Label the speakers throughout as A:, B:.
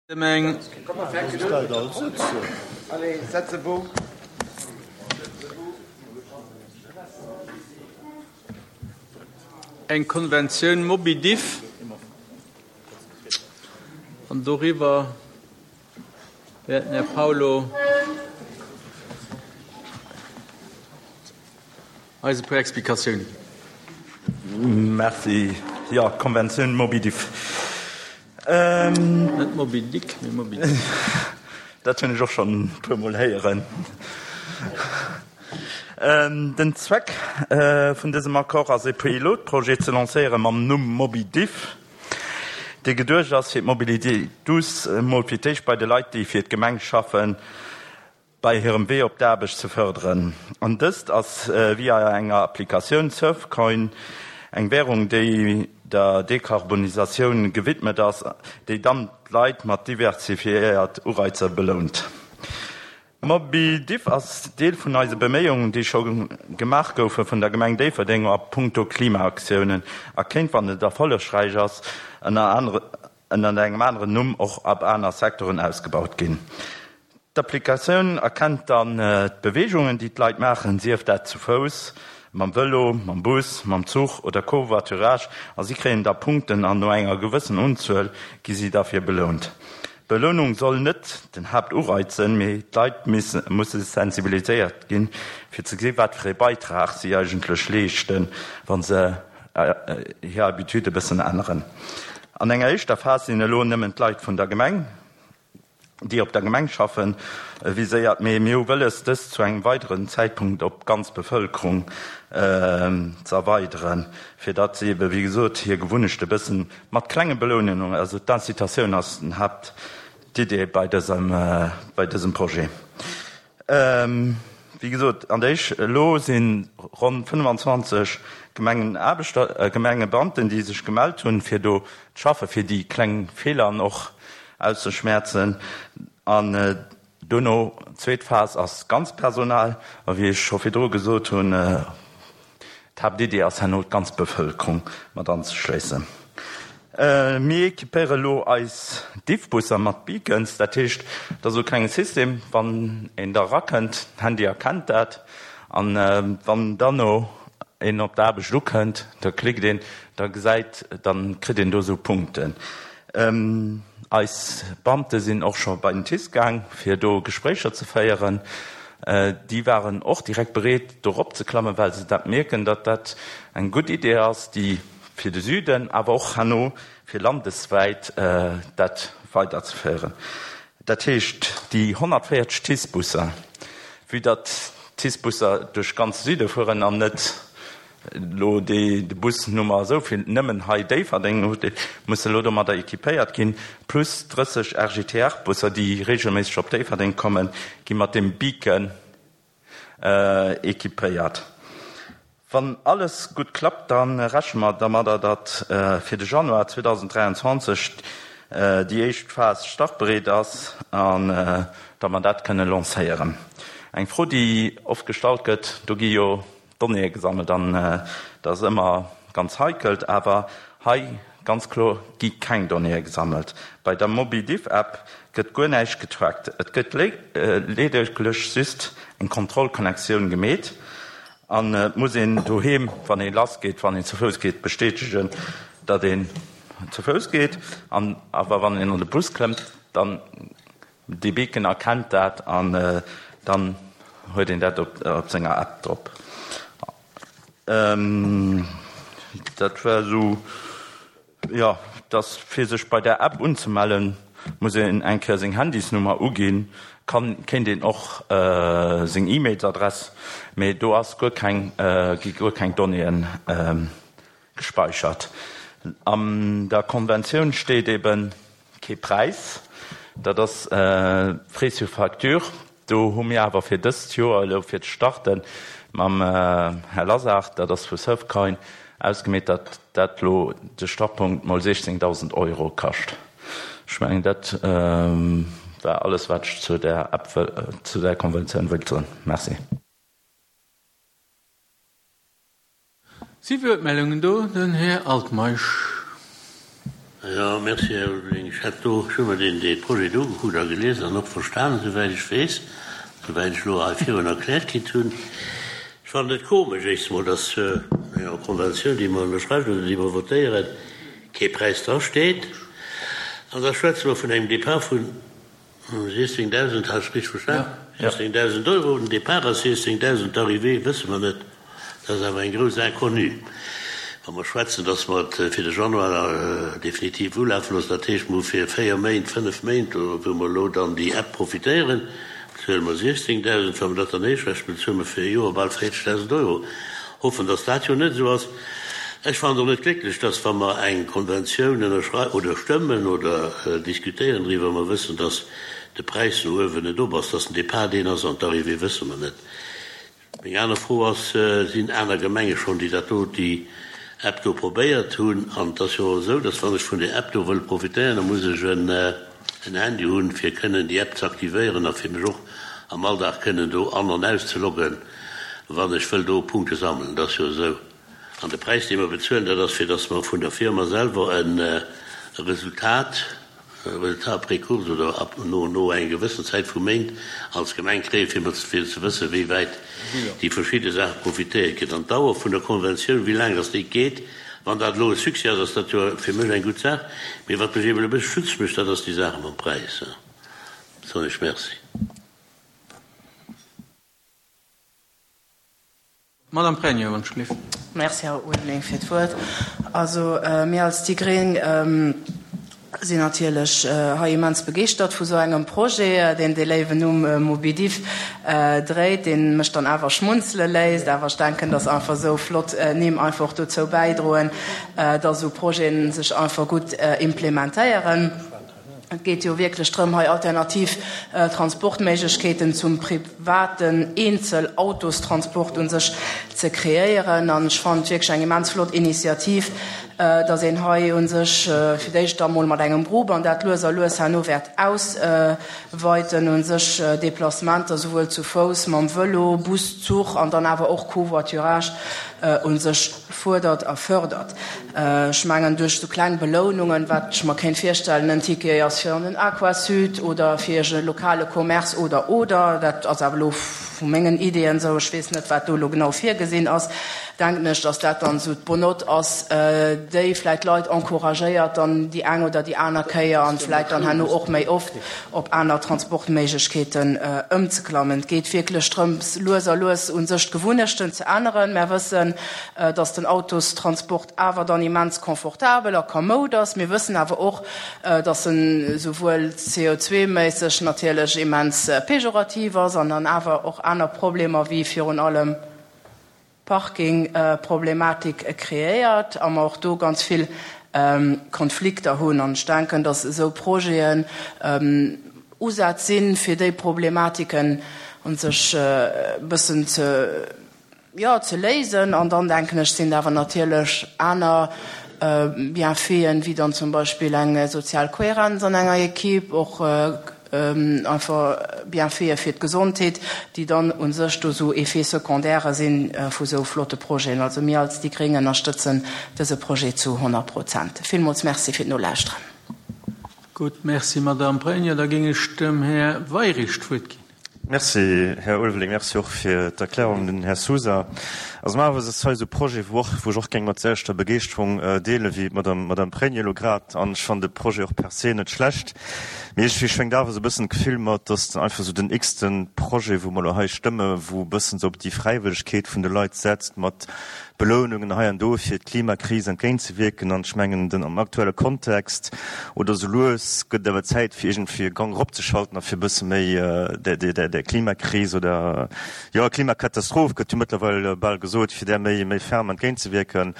A: Ëm eng. Eng Konventioun MobiDiff an doriwwer wäert den Här Paulo eis e puer Explikatiounen
B: ginn. Merci. Jo, d'Konventioun MobiDiff.
A: Net Moby Dick, mee Moby Diff.
B: Dat hunn ech och schonn e puermol héieren. Den Zweck vun dësem Accord ass, e Pilotprojet ze lancéiere mam Numm Moby Diff, dee geduecht ass, fir d'Mobilité douce emol fir d'éischt bei de Leit, déi fir d'Gemeng schaffen, bei hirem Wee op d'Aarbecht ze fërderen. An dëst ass via enger Applikatioun, Surfcoin, eng Währung déi der Dekarbonisatioun gewidmet ass, déi dann d'Leit mat diversifiéiert Ureizer belount. MobiDiff ass Deel vun eise Beméiungen, déi scho gemaach goufe vun der Gemeng Déifferdeng a punkto Klimaaktiounen a kéint, wann et erfollegräich ass, ënner engem aneren Numm och ab aner Secteuren ausgebaut ginn. D'Applikatioun erkennt dann d'Beweegungen, déi d'Leit maachen, sief dat zu Fouss, mam Vëlo, mam Bus, mam Zuch oder Covoiturage, a si kréien da Punkten an no enger gewëssen Unzuel gi si derfir belount. D'Belounung soll net den Haaptureiz sënn, mee d'Leit musse sensibiliséiert ginn, fir ze gesi wat fir ee Beitrag si eigentlech leeschten, wa se hir Habitude e bëssen änneren. An enger éischter Phas sinn elo nëmmen d'Leit vun der Gemeng, déi op der Gemeng schaffen, viséiert, mee mir hu wëlles, dëst zu engem weideren Zäitpunkt op d'ganz Bevëlkerung ze erweideren, fir datt si ebe wéi gesot hir Gewunnechte bëssen mat klenge Belounungen, also d'Incitatioun ass den Haaptidee bei dësem, bei dësem Projet. Wéi gesot, an der éisch elo si ronn 25 Gemengenaarbechter, Gemengebeamten, déi sech gemellt hunn, fir do ze schaffen, fir déi kleng Feelern och auszeschmäerzen. An duerno, zweet Phas ass d'ganz Personal. A wéi ech scho virdru gesot hunn, D'Haaptidee ass herno d'ganz Bevëlkerung mat anzeschléissen. Mir equipéiere lo eis Diffbusser mat Beacons, dat heescht, et ass esou e klenge System, wann een da erakënnt, d'Handy erkennt dat an wann dann no een op d'Aarbecht ukënnt, da klickt een, da gesäit, dann kritt een do esou Punkten. Eis Beamte sinn och scho bei den TICE gaang, fir do Gespréicher ze féieren. Déi waren och direkt bereet, do eropzeklammen, well se dat mierken, datt dat eng gutt Idee ass, déi fir de Süden, awer och herno fir landeswäit dat weiderzeféieren. Dat heescht, déi 140 TICE-Busser, vue datt d'TICE-Busser duerch ganz Süde fueren an net elo déi de Bus Nummer esou vill nëmmen hei Déifferdeng huet, musse elo domadder équipéiert ginn, plus 30 RGTR-Busser, déi regelméisseg op Déifferdeng kommen, gi mat deem Beacon équipéiert. Wann alles gutt klappt, da rechne mer dermadder, datt fir de Januar 2023 déi éischt Phas startbereet ass an datt mer dat kënne lancéieren. Eng Fro, déi oft gestallt gëtt, do gi jo Donnéeë gesammelt an dat ass ëmmer ganz heikelt, awer hei ganz kloer gi keng Donnéeë gesammelt. Bei der MobiDiff-App gëtt guer näischt getrackt, et gëtt ledeglech just eng Kontrollconnectioun gemeet an et muss een doheem, wann ee lass geet, wann een zu Fouss geet, bestätegen, datt een zu Fouss geet an awer wann een an de Bus klëmmt, dann Dee Beacon erkennt dat an dann huet een dat op senger App drop. Dat war esou, jo, dass fir sech bei der App unzemellen, muss een eng Kéier seng Handysnummer uginn, kann, kéint een och seng E-Mailsadress, mee do ass guer keng, gi guer keng Donnéeën gespeichert. An der Konventioun steet eben kee Präis, dat ass Frais sur facture. Do hu mir awer fir dëst Joer elo fir ze starte mam Här Lasar, dat ass vu Surfcoin, ausgemeet, datt dat elo de Startpunkt mol 16.000 Euro kascht. Ech mengen, dat war alles, wat ech zu där App, zu där Konventioun wëllt soen. Merci.
A: Si Wuertmeldungen do? Den Här Altmeisch.
C: Jo, merci, Här Ulveling. Ech hätt do, ech hu mer deen, dee Projet do ugekuckt a gelies an och verstanen, souwäit ech weess, souwäit ech elo hei virun erkläert kritt hunn. Ech fannen et komesch, éischst emol, dass an enger Konventioun, déi mer ënnerschreiwen oder déi mer votéieren, kee Präis drasteet. An da schwätze mer vun engem Départ vun 16.000, hat ech richteg verstan? 16.000 Euro, den Départ ass 16.000, d'Arrivée wësse mer net. Dat ass awer eng grouss Inconnue. Wa mer schwätzen, datt mer et fir de Januar definitiv ulafe loossen, dat heescht, mer hu fir véier Méint, fënnef Méint, wou mer elo dann déi App profitéieren, bezuele mer 16.000. Wa mer dat dann éischrechnen, bezuele mer fir e Joer bal 40.000 Euro. Hoffen, datt dat jo net esou ass. Ech fannen et och net glécklech, datt, wa mer eng Konventioun ënnerschrei oder stëmmen oder diskutéieren driwwer, mer wëssen, datt de Präis no uewen net op ass, datt den Départ deen ass an d'Arrivée wësse mer net. Meng aner Fro ass, Sinn aner Gemenge schonn, déi dat do, déi App do probéiert hunn? An et ass jo och esou, dass wann ech vun där App do wëll profitéieren, da muss ech en Handy hunn, fir kënnen déi App ze aktivéieren a fir mech och am Alldag kënnen do an an auszeloggen, wann ech wëll do Punkte sammelen. Dat ass jo esou. An de Präis, dee mer bezuelen, dat ass, fir dass mer vun der Firma selwer e Resultat, Résultat après course oder ab no no enger gewëssen Zäit vu Méint als Gemeng kréien, fir mat fir ze wëssen, wéi wäit déi verschidde Saache profitéiert gëtt. An d'Dauer vun der Konventioun, wéi laang dass déi geet, wann dat elo e Succès ass, ass dat jo fir mech eng gutt Saach. Mee wat mech eeben e bësse stutzeg mécht, dat ass déi Sache mam Präis. Soen ech Merci.
A: Madame Pregno, wann ech gelift.
D: Merci, Här Ulveling, fir d'Wuert. Also, mir als déi Gréng sinn natierlech hei immens begeeschtert vu sou engem Projet, deen dee léiwen Numm Mobidiff dréit, dee mech dann awer schmunzele léisst. Awer ech denken, dass einfach esou flott Nimm einfach och dozou bäidroen, dass esou Projete sech einfach gutt implementéieren. Et geet jo wierklech drëm, hei alternativ Transportméiglechkeeten zum privaten Eenzel-Autostransport u sech ze kreéieren. An ech fannen et wierklech eng immens flott Initiativ, dass een hei u sech fir d'éischt da mol mat engem Grupp an dat lues a lues herno wäert ausweiten, u sech Déplacementer souwuel zu Fouss, mam Vëlo, Bus, Zuch an dann awer och Covoiturage u sech fuerdert a fördert. Ech mengen, duerch esou kleng Belounungen, wat ech mer kéint virstellen, en Ticket ass fir an den Aquasud oder fir e lokale Commerce oder, oder, dat ass awer elo vu mengen Ideeën esou, ech weess net, wat do elo genau virgesinn ass, denken ech, dass dat dann esou d'Bonnote ass, déi vläicht d'Leit encouragéiert, dann déi eng oder déi aner Kéier an vläicht dann herno och méi oft op aner Transportméiglechkeeten ëmzeklammen. Et geet wierklech drëms, lues a lues u sech d'Gewunnechten ze änneren. Mär wëssen, dass den Autostransport awer dann immens confortabel a kamoud ass. Mir wëssen awer och, dass en esouwuel CO2-méisseg natierlech immens pejorativ ass an dann awer och aner Problemer wéi virun allem Parkingproblematik kreéiert a mer och do ganz vill Konflikter hunn. An ech denken, dass esou Projeten Usätz sinn, fir déi Problematiken u sech e bëssen ze, jo, ze léisen. An dann, denken ech, sinn et awer natierlech aner Bienfaiten, wéi dann zum Beispill eng sozial Kohärenz an enger Equipe, och einfach Bienfaite fir d'Gesondheet, déi dann u sech do esou Effets secondaires si vu esou flotte Projeten. Also mir als déi Gréng ënnerstëtzen dëse Projet zu 100 Prozent. Villmools Merci fir d'Nolauschteren.
A: Gutt, Merci, Madamm Pregno. Da géing ech dem Här Weyrich d'Wuert ginn.
E: Merci, Här Ulveling. Merci och fir d'Erklärung, den Här Sousa. Also normalerweis ass hei esou e Projet, wou och, wou ech och géing mat selwechter Begeeschterung deele wéi d'Madame, Madame Pregno elo grad. An ech fannen de Projet och per se net schlecht. Mee iergendwéi schwéngt awer esou e bëssen d'Gefill mat, dass einfach esou den x-te Projet, wou mer elo hei stëmme, wou e bëssen esou op déi Fräiwëllegkeet vun de Leit setzt mat Belounungen hei an do fir d'Klimakris entgéintzewierken. An ech mengen, den am aktuelle Kontext oder esou lues gëtt et awer Zäit fir iergendwéi e Gang eropzeschalten a fir e bësse méi där Klimakris oder, jo, Klimakatastroph gëtt jo mëttlerweil bal gesot, fir där méi méi ferm entgéintzewierken.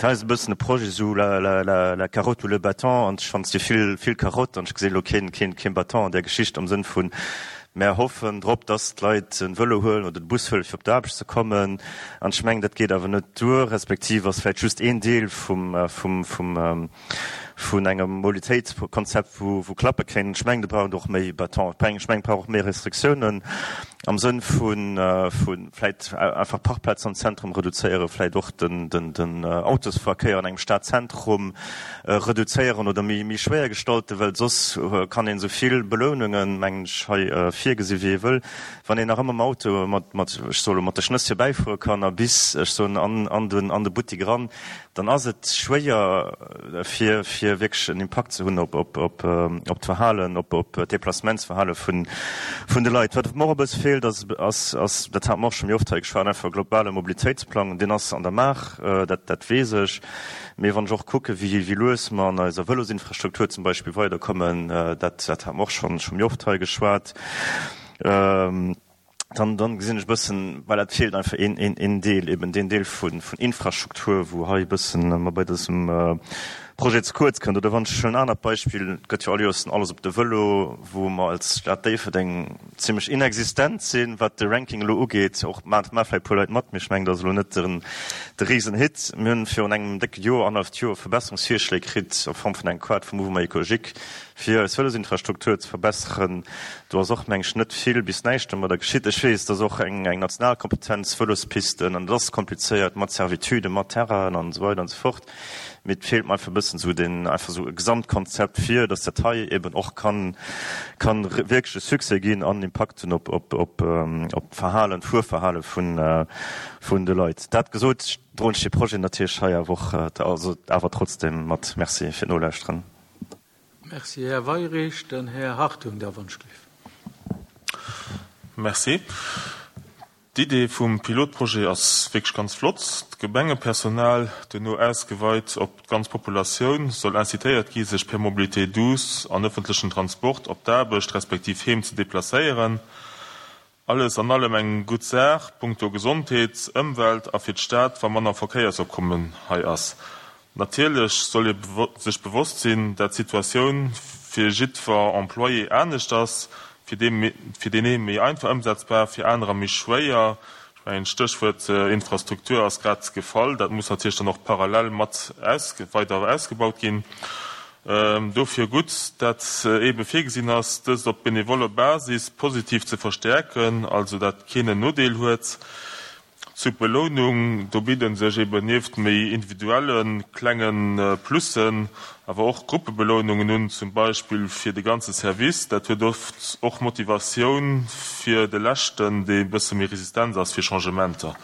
E: Dat hei ass e bëssen e Projet esou la la la la carotte ou le bâton an ech fannen, et si vill vill Carotte an ech gesinn elo keen keen keen Bâton an där Geschicht am Sënn vun, Mär hoffen drop, dass d'Leit den Vëlo huelen oder de Bus huelen, fir op d'Aarbecht ze kommen. An ech mengen, dat geet awer net duer, respektiv ass vläicht just een Deel vum, vum, vum, vun engem Mobilitéitskonzept, wou wou klappe kéint. Ech mengen, do brauch et och méi Bâton. Ech mengen, et brauch och méi Restriktiounen am Sënn vu vu vläit einfach Parkplazen am Zentrum reduzéieren, vläit och den den den Autosverkéier an engem Stadzentrum reduzéieren oder méi méi schwéier gestalten, well soss kann een esou vill Belounungen, mengen ech, hei virgesi wéi ee wëll, wann een nach ëmmer mam Auto mat mat ech soe lo mat de Schnëss virbäifuere kann a bis ech soen an an den an de Buttik eran, dann ass et schwéier fir fir wierklech en Impakt ze hunn op op op op d'Verhalen, op op d'Deplacementsverhale vun vun de Leit. Wat mer och e bësse feelt ass ass ass, dat hate mer och scho méi oft hei geschwat, einfach e globale Mobilitéitsplang. Deen ass an der Maach, dat dat weess ech. Mee wann ech och kucke wéi wéi lues mer an eiser Vëlosinfrastruktur zum Beispill weiderkommen, dat dat hate mer och schonn scho méi oft hei geschwat, dann, dann gesinn ech e bëssen, voilà, et feelt einfach een, een, een Deel, eben deen Deel vun, vun Infrastruktur, wou hei e bëssen mer bei dësem Projet ze kuerz kënnt. Oder wann ech en anert Beispill, et gëtt jo all Joers den Alles op de Vëlo, wou mer als Stad Déifferdeng zimlech inexistent sinn, wat de Ranking elo ugeet. Och maache vläicht e puer Leit mat, mee ech mengen, dat ass elo net den, de Risenhit. Mir hunn virun engem décke Joer, annerhalleft Joer, Verbesserungsvirschléi kritt a Form vun engem Quad vum Mouvement écologique, fir eis Vëlosinfrastruktur ze verbesseren. Do ass och, meng ech, net vill bis näischt domadder geschitt. Ech weess, et ass och eng national Kompetenz, Vëlospisten, an et ass komplizéiert mat Servituden, mat Terrainen an esou weider an esou fort. Mee et feelt mer einfach e bëssen esou deen, einfach esou e Gesamtkonzept, fir datt dat hei eben och kann, kann wierklech e Succès ginn an Impakt hunn op, op, op, op d'Verhalen, d'Fuerverhale vun, vun de Leit. Dat gesot, droen ech dee Projet natierlech hei awer och, also awer trotzdem mat. Merci fir d'Nolauschteren.
A: Merci, Här Weirich. Den Här Hartung da wonschgelift.
F: Merci. D'Idee vum Pilotprojet ass wierklech ganz flott. D'Gemengepersonal, duerno ausgeweit op d'ganz Populatioun, soll incitéiert gi sech per Mobilité douce an ëffentlechen Transport op d'Aarbecht respektiv heem ze deplacéieren. Alles an allem eng gutt Saach punkto Gesondheet, Ëmwelt a fir d'Stad, wa manner Verkéiersopkommen hei ass. Natierlech soll ee sech bewosst sinn, dat d'Situatioun fir jiddwer Employé anescht ass, fir deen ee méi einfach ëmsetzbar, fir anerer méi schwéier. Ech mengen, d'Stéchwuert Infrastruktur ass grad gefall. Dat muss natierlech dann och parallel mat weider ausgebaut ginn. Dofir gutt, dat eebe virgesinn ass, dëst op benevoller Basis positiv ze verstäerken, also dat keen en Nodeel huet. Zur Belounung, do bidde sech eeben nieft méi individuelle klenge Plussen awer och Gruppebelounungen un, zum Beispill fir de ganze Service. Dat huet oft och Motivatioun fir de Leschten, dee bësse méi resistent ass fir Changementer.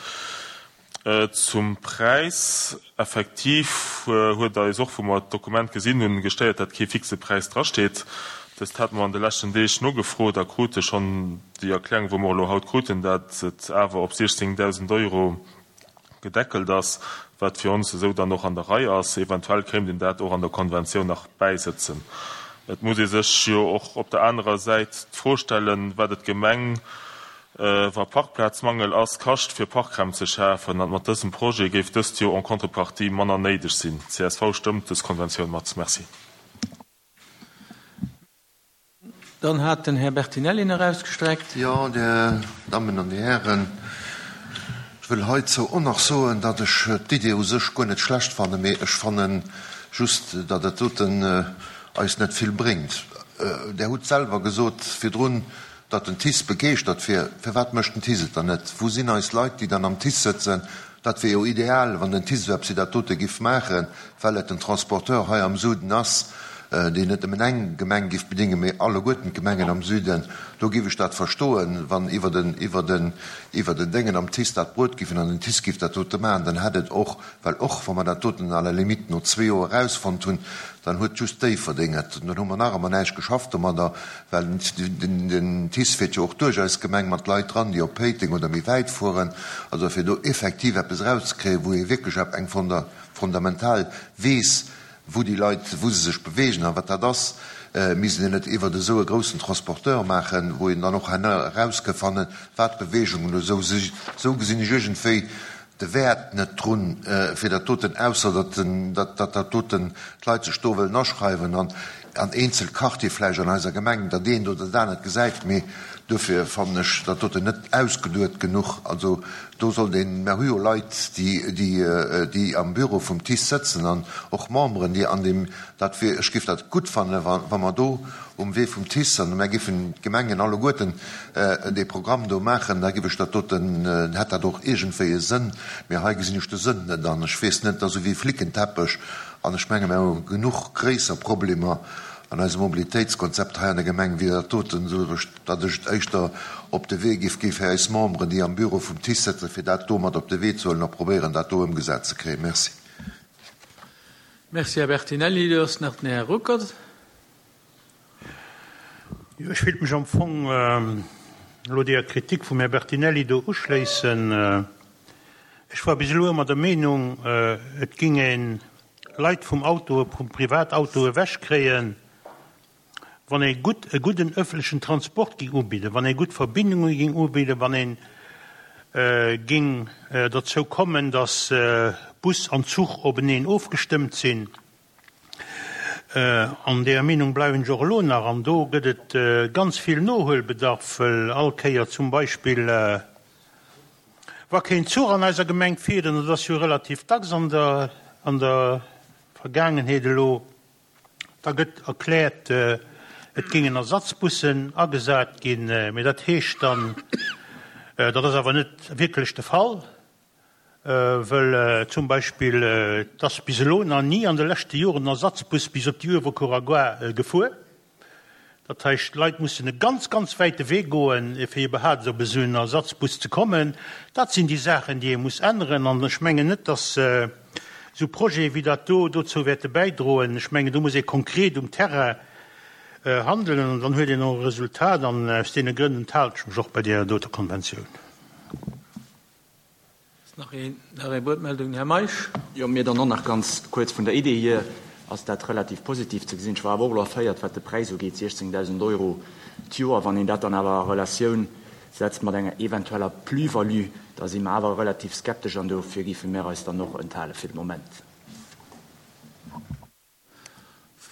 F: Zum Präis, Effektiv huet eis och, wou mer d'Dokument gesinn hunn, gestéiert, dat kee fixe Präis drasteet. Dëst hate mer an de leschten Deeg nogefrot a krute schonn déi Erklärung, wou mer elo haut kruten, dat et awer op 16.000 Euro gedeckelt ass, wat fir ons esou dann och an der Rei ass. Eventuell kéint een dat och an der Konventioun nach bäisëtzen. Et muss ee sech jo och op der anerer Säit d'Fro stellen, wat et d'Gemeng Wa Parkplazmangel ass, kascht fir Parkraum ze schafen, an mat dësem Projet géif dëst jo en contrepartie manner néideg sinn. Csv stëmmt dës Konventioun mat. Merci.
A: Dann hat den Här Bertinelli nach ausgestreckt.
G: Jo, Dir Dammen an Dir Hären, ech wëll heizou och nach soen, datt ech d'Idee u sech guer net schlecht fannen, mee ech fanne just, datt dat doten eis net vill bréngt. Der hutt selwer gesot virdrun, Datt den TICE begeeschtert wier. Firwat mécht den TICE et dann net? Wou sinn eis Leit, déi dann am TICE sëtzen? Dat wier jo ideal, wann den TICE esou eppes wéi dat dote giff maachen, well et den Transporteur hei am Suden ass, deen net nëmmen eng Gemeng giff bedéngen, mee alleguerten d'Gemengen am Süden. Do giff ech dat verstoen, wann iwwer den, iwwer den, iwwer den Déngen am TICE dat bruet giff an den TICE giff dat dote maachen, dann hätt et och Well och wa mer dat doten à la limite no zwee Joer erausfonnt hunn, dann huet just Déifferdeng et. Dann hu mer nach ëmmer näischt geschafft domadder, well den TICE fiert jo och duerch eis Gemeng mat Leit dran, déi op Péiteng oder méi wäit fueren. Also fir do effektiv eppes erauszekréien, wou ee wierklech eng fundamental weess, wou déi Leit, wou se sech bewegen a wat dat ass, misst een et iwwert esou e groussen Transporteur maachen, wou een dann och herno eraus ka fannen, wat d'Bewegungen esou si. Esou gesinn ech iergendwéi de Wäert net drun, fir dat doten, ausser datt dat doten d'Leit sech do wëllen aschreiwen. An. an eenzel Quartiere vläicht an eiser Gemeng dat eent oder dat anert gesäit, mee duerfir fannen ech dat doten net ausgeduet genuch. Also do sollt een, mer hu jo Leit, déi, déi, déi am Büro vum TICE sëtzen an och Memberen, déi an deem, dat wier, ech géif dat gutt fannen, wa, wa mer do um Wee vum TICE, an mer géifen d'Gemengen alleguerten dee Programm do maachen, da géif ech dat doten, hätt dat och iergendwéi e Sënn. Mee hei gesinn ech de Sënn net an ech weess net, et ass esou wéi Flickenteppech an ech menge mer hu genuch gréisser Problemer an eisem Mobilitéitskonzept hei an der Gemeng wéi dat doten, esou datt ech et éischter op de Wee géif gi fir eis Memberen, déi am Büro vum TICE sëtzen, fir dat do mat op de Wee ze huelen a probéieren dat do ëmgesat ze kréien. Merci.
A: Merci, Här Bertinelli. Do ass nach den Här Ruckert.
H: Jo, ech wéilt mech am Fong elo deeër Kritik vum Här Bertinelli do uschléissen. Ech war bis elo ëmmer der Meenung, et ging ee Leit vum Auto, vum Privatauto ewechkréien, wann ee gutt, e gudden öffentlechen Transport ging ubidden, wann ee gutt Verbindunge ging ubidden, wann ee ging dozou kommen, datt Bus an Zuch openeen ofgestëmmt sinn. An deeër Meenung bleiwen ech och elo nach. An do gëtt et ganz vill Nohuelbedarf, wëll all Kéier zum Beispill, wa keen Zuch an eiser Gemeng fiert, an dat ass jo relativ dacks an der an der Vergaangenheet elo, da gëtt erkläert, et géingen Ersatzbussen agesat ginn. Mee dat heescht dann, dat ass awer net wierklech de Fall, Wëll zum Beispill, et ass bis elo nach ni an de leschte Joren en Ersatzbus bis op déi Uewerkuerer Gare gefuer. Dat heischt, d'Leit mussen e ganz, ganz wäite Wee goen, fir iwwerhaapt op esou en Ersatzbus ze kommen. Dat sinn déi Saachen, déi ee muss änneren. An ech mengen net, datt esou Projete wéi dat do dozou wäerte bäidroen. Ech mengen, do muss ee konkret um Terrain handelen an dann huet een och e Resultat. An aus deene Grënn enthalen ech mech och bei deeër doter Konventioun.
A: Ass nach een, nach eng Wuertmeldung? Här Meisch.
I: Jo, mir dann och nach ganz kuerz. Vun der Idee hier ass dat relativ positiv ze gesinn. Ech war awer och elo erféiert, wat de Präis ugeet, 16.000 Euro d'Joer. Wann een dat dann awer a Relatioun setzt mat enger eventueller Plus-value, da si mer awer relativ skeptesch an dofir géife mir eis dann och enthale fir de Moment.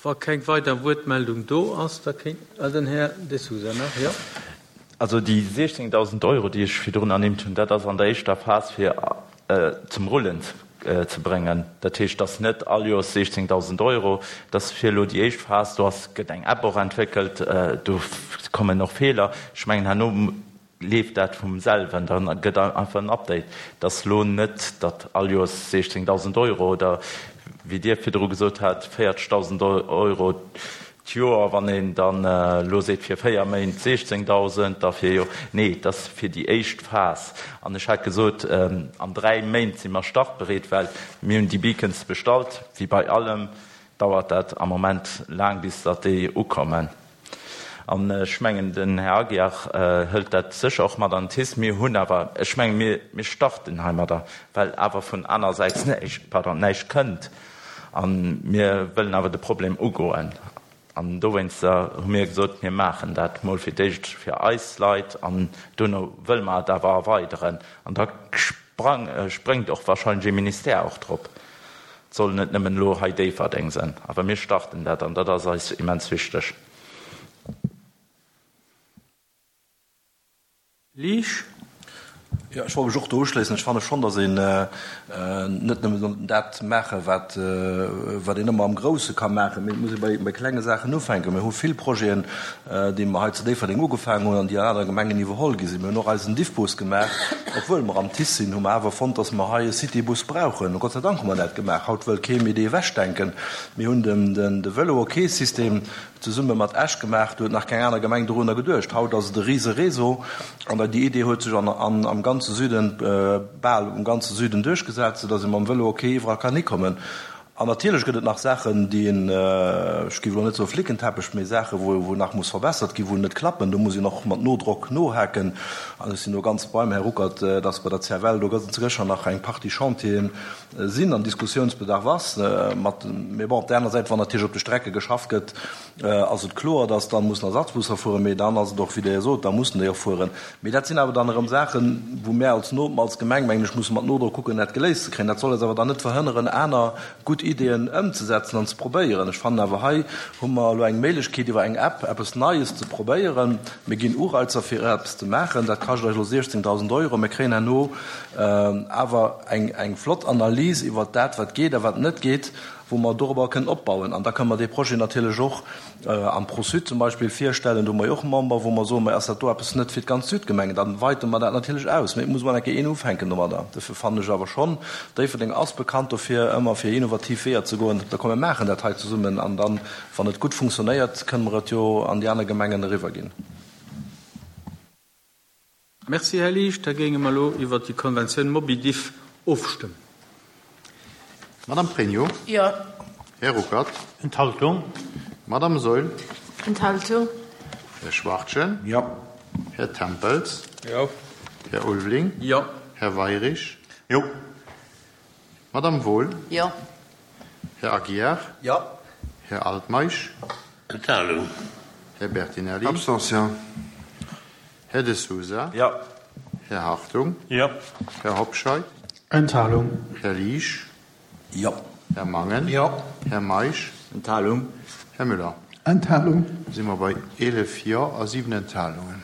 A: Wa keng weider Wuertmeldung do ass, da kéint den Här De Sousa nach, jo.
B: Also déi 16.000 Euro, déi ech virdrun ernimmt hunn, dat ass an der éischter Phas fir zum Rullen ze bréngen. Dat heescht, dat ass net all Joers 16.000 Euro, dat ass fir elo déi éischt Phas. Do ass, gëtt eng App och entwéckelt, do kommen och Feeler. Ech mengen herno leeft dat vum selwen, da gëtt einfach en Update. Et ass elo net, datt all Joers 16.000 Euro oder wéi Dir virdru gesot hat, 40.000 Euro d'Joer, wann een dann elo seet fir 4 Méint 16.000, da fir Joer, nee, et ass fir déi éischt Phas. An ech hat gesot, an 3 Méint si mer startbereet, well mir hunn déi Beacons bestallt. Wéi bei allem dauert dat am Moment laang, bis datt déi ukommen. An ech mengen, den Här Aguiar hëlt dat sécher och mat an den TICE. Mir hunn awer, ech mengen, mir, mir starten heimadder, well awer vun anersäits näischt, pardon, näischt kënnt. A mir wëllen awer de Problem ugoen. An dowéinster hu mir gesot, mir maachen dat mol fir d'éischt fir eis Leit an duerno wëlle mer et awer erweideren. An da sprang, spréngt och wahrscheinlech ee Ministère och drop. Et soll net nëmmen elo hei Déifferdeng sinn, awer mir starten dat an dat ass eis immens wichteg.
A: Liesch.
J: Jo, ech wollt mech och do uschléissen. Ech fanne schonn, datt een net nëmme soll dat maachen, wat, wat een ëmmer am Grousse ka maachen, mee et muss ee bei, bei klenge Saachen ufänken. Mir hu vill Projeten, déi mer hei zu Déifferdeng ugefaangen hunn an déi an anere Gemengen iwwerholl gi sinn. Mir hunn och eisen Diffbus gemaach. Obwuel mer am TICE sinn, hu mer awer fonnt, datt mer hei e Citybus brauchen. Gott sei Dank hu mer dat gemaach. Haut wëll kee méi dee ewechdenken. Mir hunn den, de Vëlo-OK-System zesumme mat Esch gemaach. Do huet nach keng aner Gemeng dorunner geduecht. Haut ass et e rise Réseau an déi Idee huet sech an, an, am ganze Süden, bal um ganze Süden duerchgesat, soudatt ee mam Vëlo OK iwwerall kann hikommen. An natierlech gëtt et nach Saachen, déi een, ech géif elo net soe Flickenteppech, mee Saachen, wou, wou nach muss verbessert ginn, wou net klappen. Do muss een och mat Nodrock nohaken. An ech sinn do ganz beim Här Ruckert, dass bei der CFL do ganz sécher nach eng Partie Chantieren sinn an Diskussionsbedarf ass. Mat, mee bon, op där aner Säit, wann natierlech op de Strecke geschafft gëtt, ass et kloer, dass dann mussen Ersatzbusser fueren. Mee dann ass et och, wéi Der jo sot, da mussen déi och fueren. Mee dat sinn awer dann erëm Saachen, wou mär als No, als Gemeng, mengen ech, musse mat Nodrock kucken, dat geléist ze kréien. Dat soll eis awer dann net verhënneren, aner gutt. Ideeën ëmzesetzen an ze probéieren. Ech fannen awer, hei hu mer elo eng Méiglechkeet, iwwer eng App eppes Neies ze probéieren. Mir ginn Ureizer, fir eppes ze maachen. Dat kascht eis elo 16.000 Euro. Mir kréien herno awer eng flott Analys iwwert dat, wat geet a wat net geet, wou mer dorobber kënnen opbauen. An da kënnen mer dee Projet natierlech och am Pro-Sud zum Beispill virstellen. Do hu mer jo och Member, wou mer soen, Mä ass dat do eppes net fir d'ganz Südgemengen? Da weite mer dat natierlech aus. Mee et muss emol eng Kéier een ufänken domadder. Dofir fannen ech awer schonn, Déifferdeng ass bekannt dofir, ëmmer fir innovativ Weeër ze goen. Da komm, mir maachen dat hei zesummen an dann, wann et gutt funktionéiert, kënnen mer et jo an déi aner Gemengen eriwwerginn.
A: Merci, Här Liesch. Da géinge mer elo iwwert déi Konventioun MobiDiff ofstëmmen.
K: Madame Pregno.
D: Jo.
K: Här Ruckert.
H: Enthaltung.
K: Madame Saeul.
D: Enthaltung.
K: Här Schwachtgen.
J: Jo.
K: Här Tempels.
A: Jo.
K: Här Ulveling.
A: Jo.
K: Här Weirich.
E: Jo.
K: Madame Wohl.
D: Jo.
K: Här Aguiar.
J: Jo.
K: Här Altmeisch.
C: Enthalung.
K: Här Bertinelli.
G: Abstention.
K: Här De Sousa.
J: Jo.
K: Här Hartung.
F: Jo.
K: Här Hobscheit.
H: Enthalung.
K: Här Liesch.
J: Jo.
K: Här Mangen.
H: Jo.
K: Här Meisch.
I: Enthalung.
K: Här Müller.
H: Enthalung.
K: Da si mer bei 11 Jo a 7 Enthalungen.